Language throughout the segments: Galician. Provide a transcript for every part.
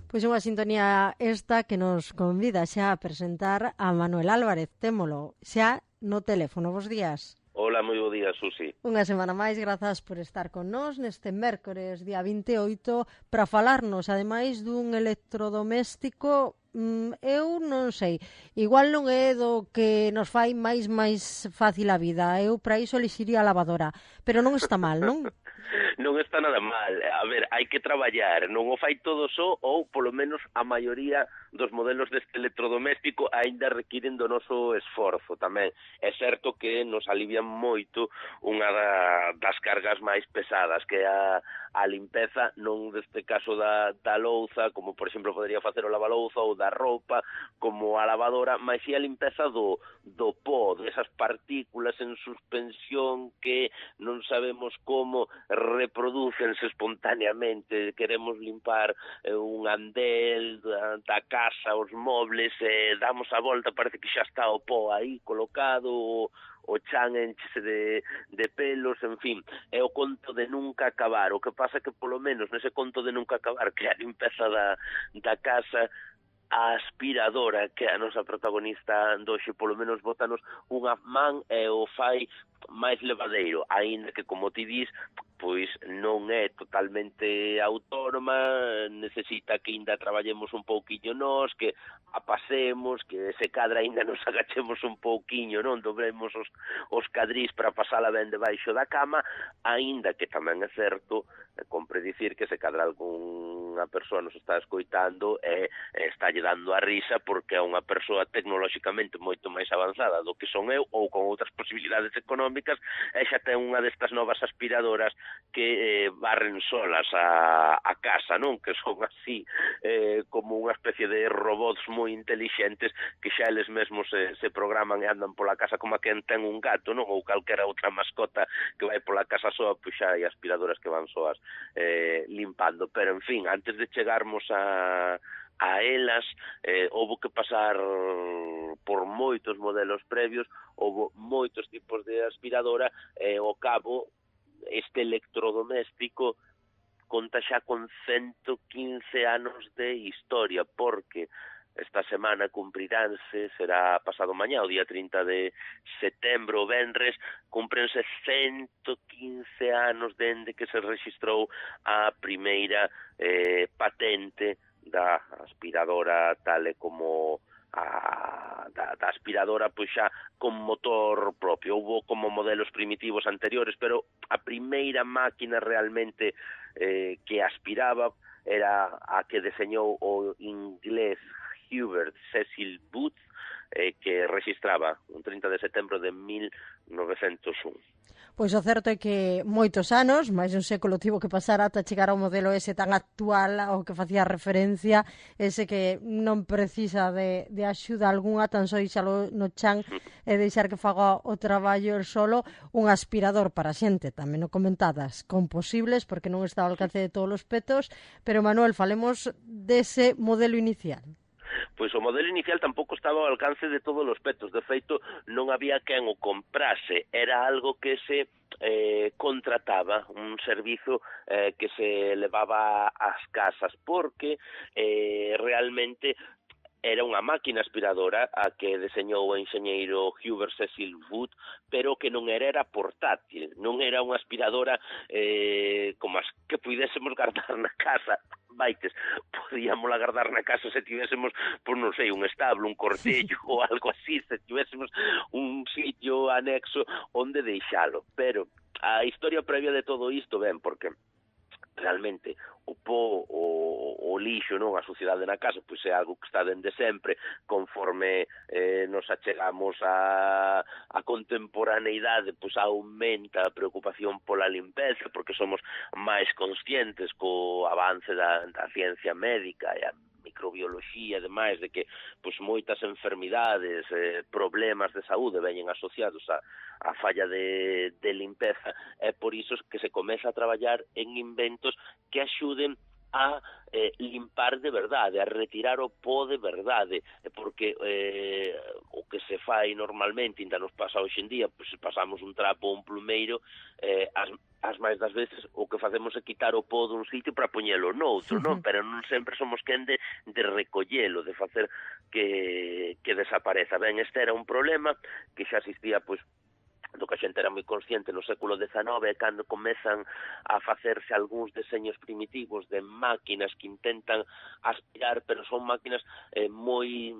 Pois unha sintonía esta que nos convida xa a presentar a Manuel Álvarez. Témolo xa no teléfono. Bos días. Hola, moi bo día, Susi. Unha semana máis, grazas por estar con nós neste mércores, día 28, para falarnos, ademais, dun electrodoméstico, eu non sei, igual non é do que nos fai máis fácil a vida, eu para iso elixiría a lavadora, pero non está mal, non? Non está nada mal. A ver, hai que traballar, non o fai todo só, ou polo menos a maioría dos modelos deste electrodoméstico aínda requiren do noso esforzo tamén. É certo que nos alivian moito unha das cargas máis pesadas, que é a limpeza, non deste caso da louza, como por exemplo podería facer o lavalouza, ou da roupa, como a lavadora, mas si a limpeza do pó, desas partículas en suspensión que non sabemos como reproducense espontaneamente. Queremos limpar un andel da casa, os mobles, damos a volta, parece que xa está o pó aí colocado, o chan enchese de pelos, en fin, é o conto de nunca acabar. O que pasa que polo menos nese conto de nunca acabar, que é a limpeza da casa, a aspiradora, que é a nosa protagonista doxe, polo menos bótanos unha man e o fai máis levadeiro, aínda que, como ti dis, pois non é totalmente autónoma, necesita que ainda traballemos un pouquiño nós, que a pasemos, que se cadra ainda nos agachemos un pouquiño, non dobremos os cadrís para pasala ben debaixo da cama, aínda que tamén é certo, compre dicir que se cadra algunha persoa nos está escoitando e está lle dando a risa porque é unha persoa tecnolóxicamente moito máis avanzada do que son eu, ou con outras posibilidades económicas, e xa ten unha destas novas aspiradoras que barren solas a casa, non? Que son así como unha especie de robots moi intelixentes que xa eles mesmos se programan e andan pola casa como a quen ten un gato, non? Ou calquera outra mascota que vai pola casa soa, pois xa hai aspiradoras que van soas limpando. Pero, en fin, antes de chegarmos a elas, houve que pasar por moitos modelos previos, houve moitos tipos de aspiradora, e ao cabo este electrodoméstico conta xa con 115 anos de historia, porque esta semana cumpriránse, será pasado mañá, o día 30 de setembro, o venres, cumprense 115 anos dende que se rexistrou a primeira patente da aspiradora tal e como da aspiradora, pois xa con motor propio. Houve como modelos primitivos anteriores, pero a primeira máquina realmente que aspiraba era a que deseñou o inglés Hubert Cecil Booth, que registraba un 30 de setembro de 1901. Pois o certo é que moitos anos, máis de un século tivo que pasar ata chegar ao modelo ese tan actual ao que facía referencia, ese que non precisa de axuda algunha, tan só ixalo no chan e deixar que faga o traballo el solo, un aspirador para xente, tamén o comentadas, con posibles, porque non está ao alcance de todos os petos, pero Manuel, falemos dese modelo inicial. Pois o modelo inicial tampouco estaba ao alcance de todos os petos, de feito non había quen o comprase, era algo que se contrataba, un servizo que se levaba ás casas, porque realmente era unha máquina aspiradora a que deseñou o enxeñeiro Hubert Cecil Booth, pero que non era portátil, non era unha aspiradora como as que puidésemos guardar na casa. Vaites, podíamos agardar na casa se tivésemos, pois non sei, un establo, un cortello ou algo así, se tivésemos un sitio anexo onde deixalo. Pero a historia previa de todo isto, ben, porque realmente o pó, o lixo, non, a suciedade na casa, pois é algo que está dende sempre. Conforme nos achegamos a contemporaneidade, pois aumenta a preocupación pola limpeza, porque somos máis conscientes co avance da ciencia médica e a microbioloxía, ademais de que pois moitas enfermidades, problemas de saúde veñen asociados a falla de limpeza. É por iso que se comeza a traballar en inventos que axuden a limpar de verdade, a retirar o pó de verdade, porque o que se fai normalmente, ainda nos pasa hoxe en día, pois se pasamos un trapo ou un plumeiro, as máis das veces o que facemos é quitar o pó dun sitio para poñelo noutro, non? Pero non sempre somos quen de recollelo, de facer que desapareza. Ben, este era un problema que xa existía, pois, do que a xente era moi consciente no século XIX, cando comezan a facerse algúns deseños primitivos de máquinas que intentan aspirar, pero son máquinas moi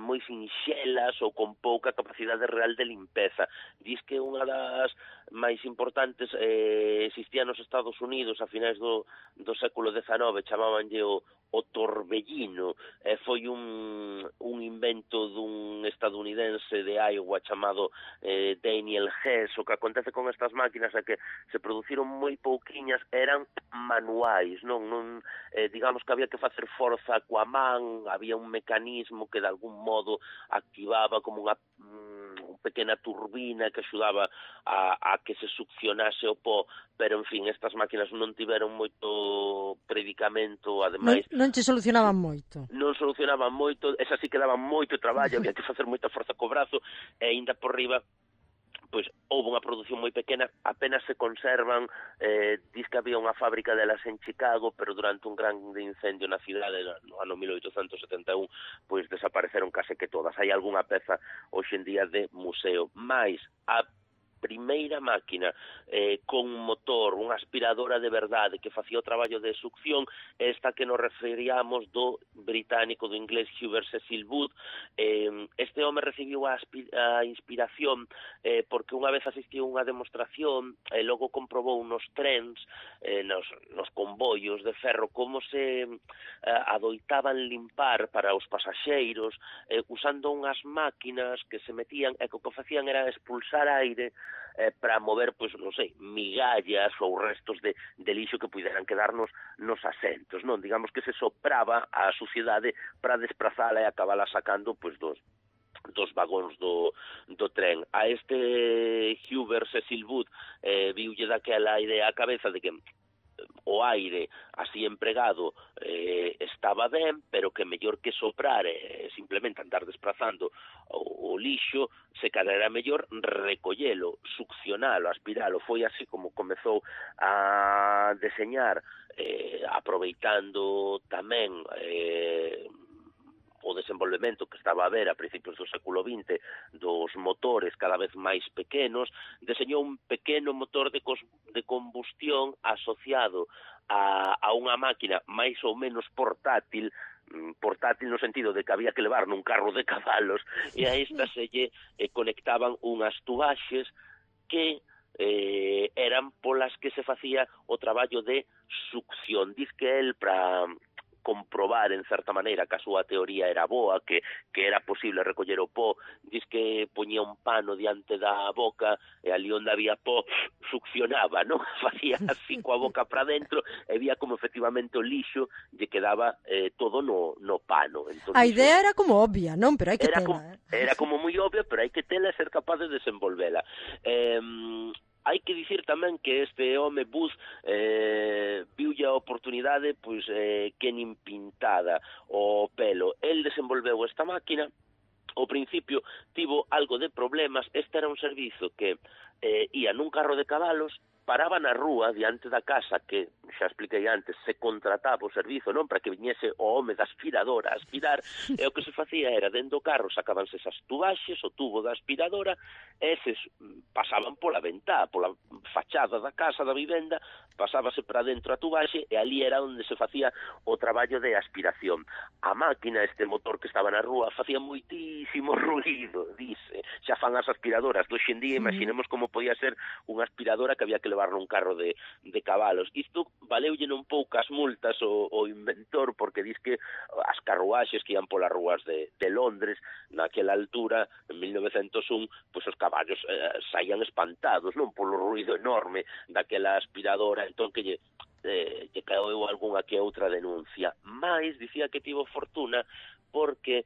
moi sinxelas ou con pouca capacidade real de limpeza. Diz que unha das máis importantes existía nos Estados Unidos a finais do século XIX, chamabanlle o torbellino, foi un invento dun estadounidense de Iowa chamado Daniel Hess. O que acontece con estas máquinas é que se produciron moi pouquiñas, eran manuais, non digamos que había que facer forza coa man, había un mecanismo que de algún modo activaba como unha pequena turbina que axudaba a que se succionase o pó, pero en fin, estas máquinas non tiveron moito predicamento, ademais non che solucionaban moito. Non solucionaban moito, esas sí que daban moito traballo, había que facer moita forza co brazo, e ainda por riba pois houve unha produción moi pequena, apenas se conservan, diz que había unha fábrica delas en Chicago, pero durante un gran incendio na cidade no ano 1871, pois desapareceron case que todas. Hai algunha peza hoxe en día de museo, mais a primeira máquina con motor, unha aspiradora de verdade que facía o traballo de succión, esta que nos referíamos do británico, do inglés Hubert Cecil Booth. Este home recibiu a inspiración porque unha vez asistiu a unha demostración e logo comprobou nos trens, nos convoios de ferro, como se adoitaban limpar para os pasaxeiros usando unhas máquinas que se metían e que o que facían era expulsar aire para mover, pois, non sei, migallas ou restos de lixo que puderan quedarnos nos asentos, non? Digamos que se sopraba a suciedade para desprazala e acabala sacando, pois, dos vagóns do tren. A este Hubert Cecil Booth viulle daquela idea á cabeza de que o aire así empregado estaba ben, pero que mellor que soprar simplemente andar desplazando o lixo, se cadra era mellor recollelo, succionalo, aspiralo. Foi así como comezou a deseñar, aproveitando tamén o desenvolvemento que estaba a ver a principios do século XX dos motores cada vez máis pequenos, deseñou un pequeno motor de combustión asociado a unha máquina máis ou menos portátil no sentido de que había que levar nun carro de cabalos, e a esta se lle conectaban unhas tubaxes que eran polas que se facía o traballo de succión. Diz que el, para comprobar en certa maneira que a súa teoría era boa, que era posible recoller o pó, diz que poñía un pano diante da boca e ali onde había pó succionaba, non? Facía así coa boca para dentro e vía como efectivamente o lixo lle quedaba todo no pano. Entón, a idea era como obvia, non? Pero hai que tela. Era como moi obvia, pero hai que tela e ser capaz de desenvolvela. Hai que dicir tamén que este home Booth viulle a oportunidade pois que nin pintada o pelo. El desenvolveu esta máquina, ao principio tivo algo de problemas. Este era un servizo que ia nun carro de cabalos, paraba na rúa diante da casa, que xa expliquei antes, se contrataba o servizo, non, para que viñese o home da aspiradora a aspirar, e o que se facía era, dentro do carro sacabanse esas tubaxes, o tubo da aspiradora, e eses pasaban pola ventá, pola fachada da casa, da vivenda, pasábase para dentro a tubaxe, e ali era onde se facía o traballo de aspiración. A máquina, este motor que estaba na rúa, facía moitísimo ruído, dice. Xa fan as aspiradoras do xendía, imaginemos como podía ser unha aspiradora que había que levar nun carro de cabalos. Isto valeulle non poucas multas o inventor, porque diz que as carruaxes que ian polas rúas de Londres naquela altura, en 1901, pois os caballos saían espantados, non, polo ruído enorme daquela aspiradora, entón que lle caeu algunha que outra denuncia. Mais dicía que tivo fortuna porque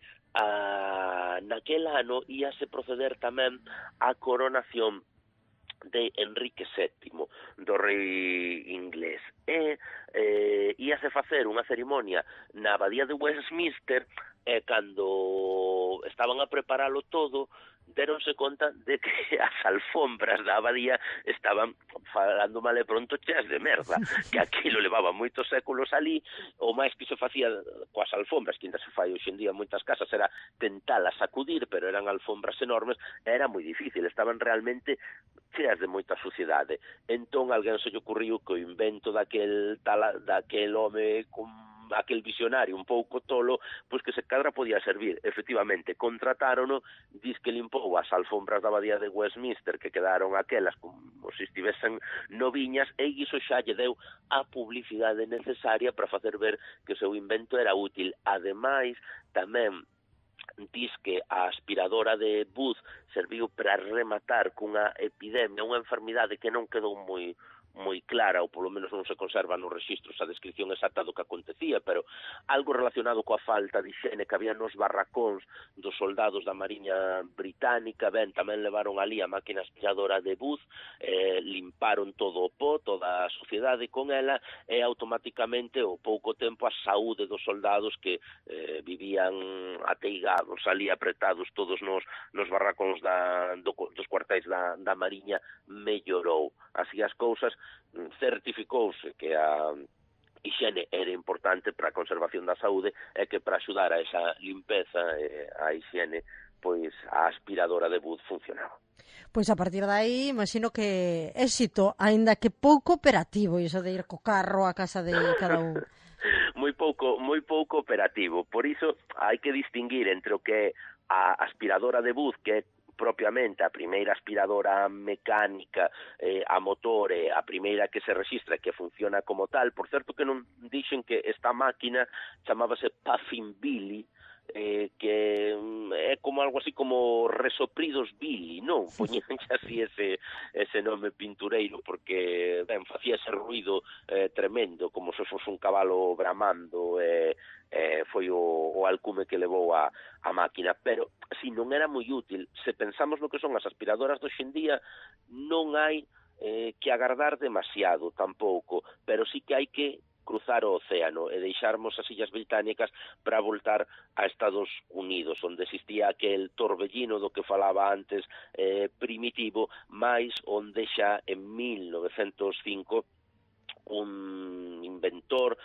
naquel ano íase proceder tamén á coronación de Enrique VII, do rei inglés. Íase facer unha cerimonia na abadía de Westminster, e cando estaban a preparalo todo, deronse conta de que as alfombras da abadía estaban, falando mal e pronto, cheas de merda, que aquilo levaba moitos séculos ali. O máis que se facía coas alfombras, que ainda se fai hoxe en día en moitas casas, era tentalas sacudir, pero eran alfombras enormes, era moi difícil, estaban realmente cheas de moita suciedade. Entón, alguén se lle ocurriu que o invento daquel home con aquel visionario un pouco tolo, pois que se cadra podía servir. Efectivamente, contratárono, diz que limpou as alfombras da abadía de Westminster, que quedaron aquelas como se estivesen noviñas, e iso xa lle deu a publicidade necesaria para facer ver que o seu invento era útil. Ademais, tamén diz que a aspiradora de Booth serviu para rematar cunha epidemia, unha enfermidade que non quedou moi clara, ou polo menos non se conserva nos registros a descripción exacta do que acontecía, pero algo relacionado coa falta de higiene que había nos barracóns dos soldados da Mariña Británica. Ben, tamén levaron ali a máquina aspiradora de Booth, limparon todo o pó, toda a suciedade con ela, e automáticamente, ao pouco tempo, a saúde dos soldados que vivían ateigados ali, apretados todos nos barracóns dos cuartéis da Mariña, mellorou. Así as cousas, certificouse que a higiene era importante para a conservación da saúde, e que para axudar a esa limpeza e a higiene, pois a aspiradora de Booth funcionaba. Pois a partir de aí, imagino que éxito, aínda que pouco operativo, iso de ir co carro a casa de cada un. moi pouco operativo. Por iso hai que distinguir entre o que é a aspiradora de Booth, que é propiamente a primeira aspiradora mecánica a motor, a primeira que se registra que funciona como tal. Por certo que non dixen que esta máquina chamábase Puffin Billy, que é como algo así como Resopridos Billy, non? Poñían así ese nome pintureiro, porque, ben, facía ese ruido tremendo, como se fose un cabalo bramando, foi o alcume que levou a máquina. Pero, si non era moi útil, se pensamos no que son as aspiradoras de hoxe en día, non hai que agardar demasiado tampouco, pero sí que hai que cruzar o océano e deixarmos as Illas Británicas para voltar a Estados Unidos, onde existía aquel torbellino do que falaba antes, primitivo, máis onde xa en 1905 un inventor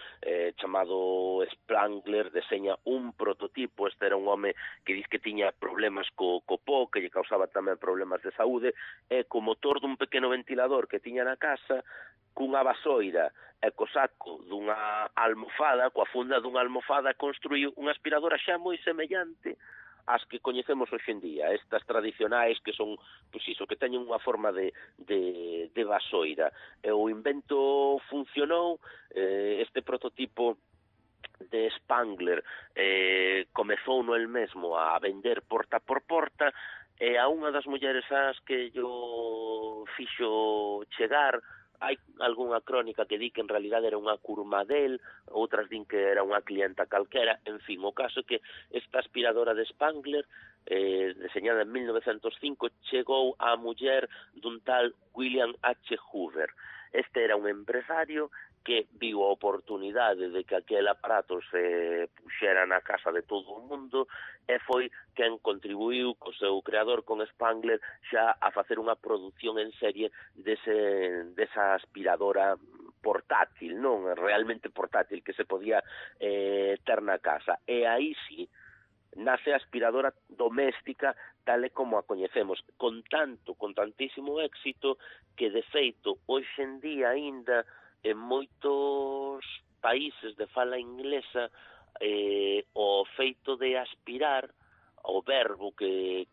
chamado Spangler deseña un prototipo. Este era un home que diz que tiña problemas co pó, que lle causaba tamén problemas de saúde, e co motor dun pequeno ventilador que tiña na casa, cunha vasoira e co saco dunha almofada, coa funda dunha almofada, construiu unha aspiradora xa moi semellante as que coñecemos hoxe en día, estas tradicionais que son, pois iso, que teñen unha forma de vasoira. E o invento funcionou. Este prototipo de Spangler comezou no el mesmo a vender porta por porta, e a unha das mulleres ás que yo fixo chegar, hai algunha crónica que di que en realidad era unha curmadel, outras din que era unha clienta calquera. En fin, o caso é que esta aspiradora de Spangler, deseñada en 1905, chegou á muller dun tal William H. Hoover. Este era un empresario que viu a oportunidade de que aquel aparato se puxera na casa de todo o mundo, e foi quen contribuiu co seu creador, con Spangler, xa a facer unha produción en serie desa aspiradora portátil, non? Realmente portátil, que se podía ter na casa. E aí sí, nace a aspiradora doméstica tal e como a coñecemos, con tantísimo éxito, que de feito, hoxe en día aínda, en moitos países de fala inglesa, o feito de aspirar, o verbo que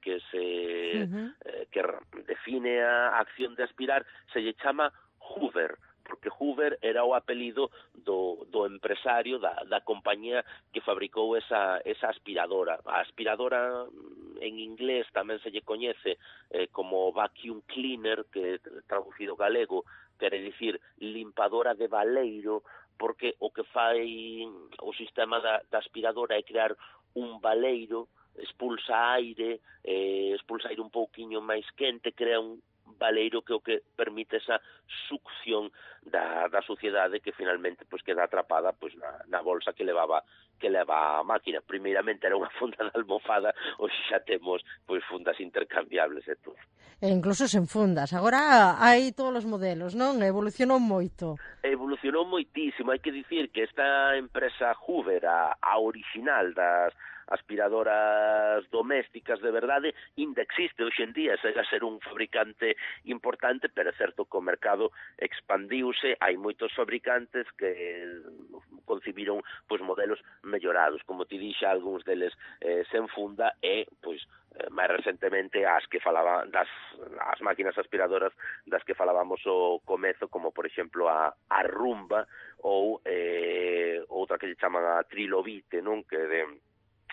define a acción de aspirar, se lle chama Hoover, porque Hoover era o apelido do empresario da compañía que fabricou esa aspiradora. A aspiradora en inglés tamén se lle coñece como vacuum cleaner, que traducido galego quere dicir limpadora de baleiro, porque o que fai o sistema da aspiradora é crear un baleiro, expulsa aire un pouquiño máis quente, crea un baleiro que o que permite esa succión da suciedade que finalmente pois queda atrapada pois na bolsa que leva a máquina. Primeiramente era unha funda de almofada, hoxe xa temos pois fundas intercambiables e todo. E incluso sen fundas. Agora hai todos os modelos, non? Evolucionou moito. Evolucionou moitísimo. Hai que dicir que esta empresa Hoover, a original das aspiradoras domésticas de verdade, ainda existe hoxe en día, chega a ser un fabricante importante, pero é certo que o mercado expandiuse, hai moitos fabricantes que concibiron pois modelos mellorados, como ti dixa, algúns deles sen funda e pois máis recentemente as que falaba as máquinas aspiradoras das que falábamos ao comezo, como por exemplo a Rumba ou outra que lle chaman a Trilobite, non? Que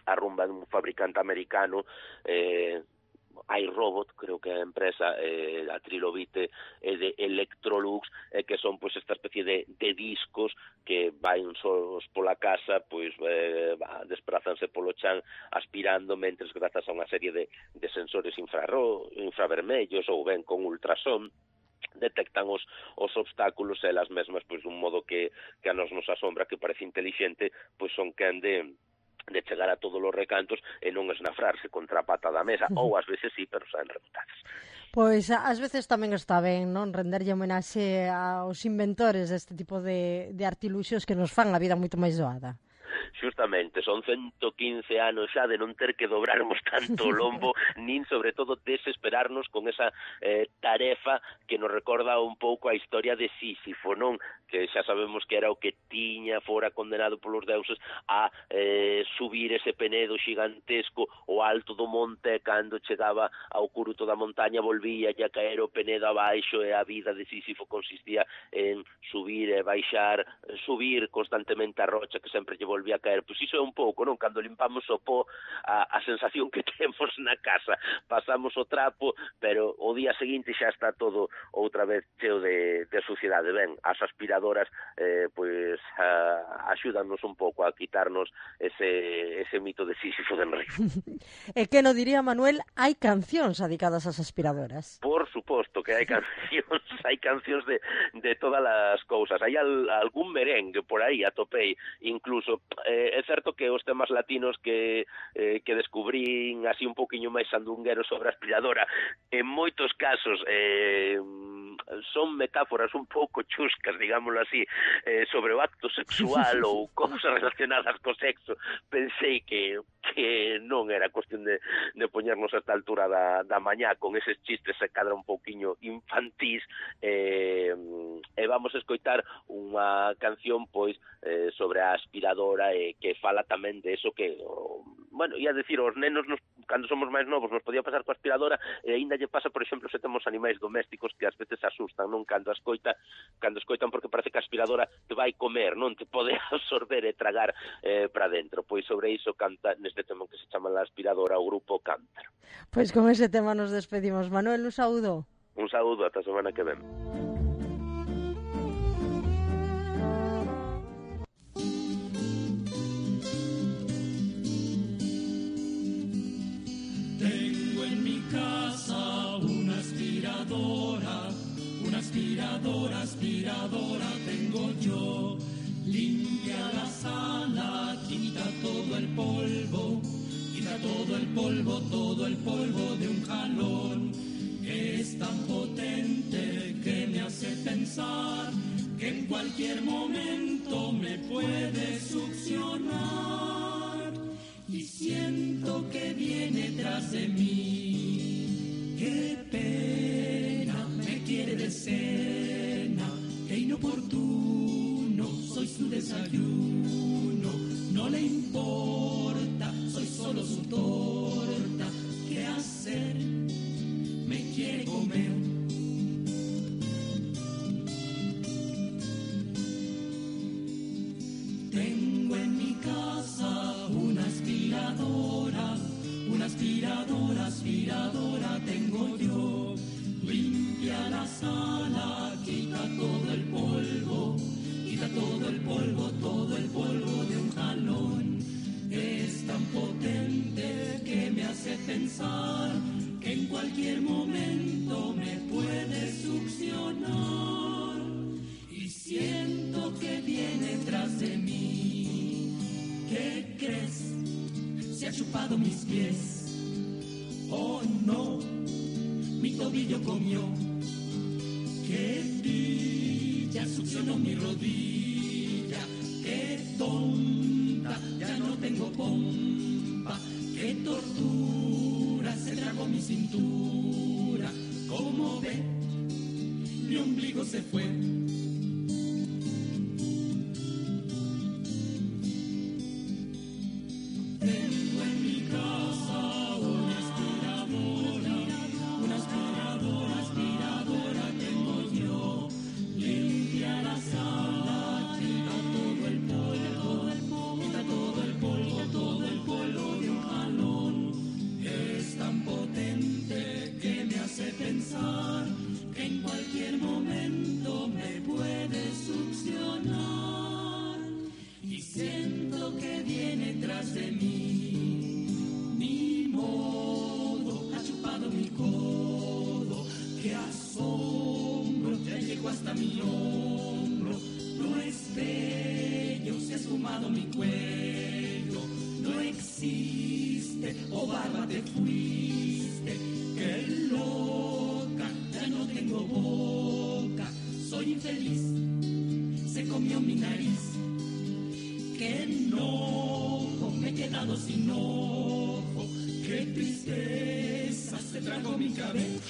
a Rumba de un fabricante americano, iRobot, creo que é a empresa, a Trilobite e de Electrolux, que son pois esta especie de discos que van solos pola casa, pois desprázanse polo chan aspirando, mentres grazas a unha serie de sensores infravermellos ou ben con ultrasón detectan os obstáculos e elas mesmas pois dun modo que a nos asombra, que parece inteligente, pois son quen de chegar a todos os recantos e non esnafrarse contra a pata da mesa, ou ás veces sí, pero saen rebotadas. Pois ás veces tamén está ben, non, renderlle homenaxe aos inventores deste tipo de artiluxos que nos fan a vida moito máis doada. Xustamente, son 115 anos xa de non ter que dobrarmos tanto o lombo, nin sobre todo desesperarnos con esa tarefa que nos recorda un pouco a historia de Sísifo, non? Que xa sabemos que era o que tiña fora condenado polos deuses a subir ese penedo xigantesco o alto do monte, e cando chegaba ao curuto da montaña volvía a caer o penedo abaixo, e a vida de Sísifo consistía en subir e baixar, subir constantemente a rocha que sempre lle volvía a caer. Pois iso é un pouco, non? Cando limpamos o pó, a sensación que temos na casa, pasamos o trapo, pero o día seguinte xa está todo outra vez cheo de suciedade. Ben, as aspiradoras pois axúdanos un pouco a quitarnos ese mito de Sísifo de Enrique. E que no diría Manuel, hai cancións dedicadas ás aspiradoras. Por suposto que hai cancións de todas as cousas. Hai algún merengue por aí, atopei, incluso. É certo que os temas latinos que descubrín así un poquinho máis sandungueros sobre a aspiradora, en moitos casos son metáforas un pouco chuscas, digámoslo así, sobre o acto sexual ou cousas relacionadas co sexo. Pensei que non era cuestión de poñernos a esta altura da mañá con eses chistes se cadra un pouquiño infantís, e vamos a escoitar unha canción pois sobre a aspiradora, que fala tamén de eso que, bueno, ia decir, os nenos cando somos máis novos nos podía pasar coa aspiradora, e aínda lle pasa, por exemplo, se temos animais domésticos que ás veces asustan, non? Cando escoitan, porque parece que a aspiradora te vai comer, non te pode absorber e tragar para dentro. Pois sobre iso canta neste tema que se chama La Aspiradora o grupo Cántaro. Pois con ese tema nos despedimos. Manuel, un saúdo. Un saúdo, ata a semana que ven. Tengo en mi casa una aspiradora tengo yo. Limpia la sala, quita todo el polvo de un jalón. Es tan potente que me hace pensar que en cualquier momento me puede succionar. Y siento que viene tras de mí. Qué pena, me quiere de cena. Qué inoportuno, soy su desayuno. No le importa, soy solo su torta. ¿Qué hacer? Me quiere comer. Tengo en mi casa una aspiradora tengo yo. Limpia la sala, quita todo el polvo de un jalón. Es tan potente que me hace pensar que en cualquier momento me puede ha chupado mis pies. Oh no, mi tobillo comió. Qué pilla, succionó mi rodilla. Qué tonta, ya no tengo pompa. Qué tortura, se tragó mi cintura. Como ve, mi ombligo se fue. Tengo en mi casa una aspiradora tengo yo. Limpia la sala, quita todo el polvo de un jalón. Es tan potente que me hace pensar que en cualquier momento me puede succionar. Y siento que viene tras de mí. Ni modo, ha chupado mi codo. Qué asombro, ya llegó hasta mi hombro. No es bello, se ha esfumado mi cuello. No existe, oh barba te fuiste. Qué loca, ya no tengo boca. Soy infeliz, se comió mi nariz. Qué enojo, me he quedado sin ojo. Qué tristeza, se tragó mi cabeza.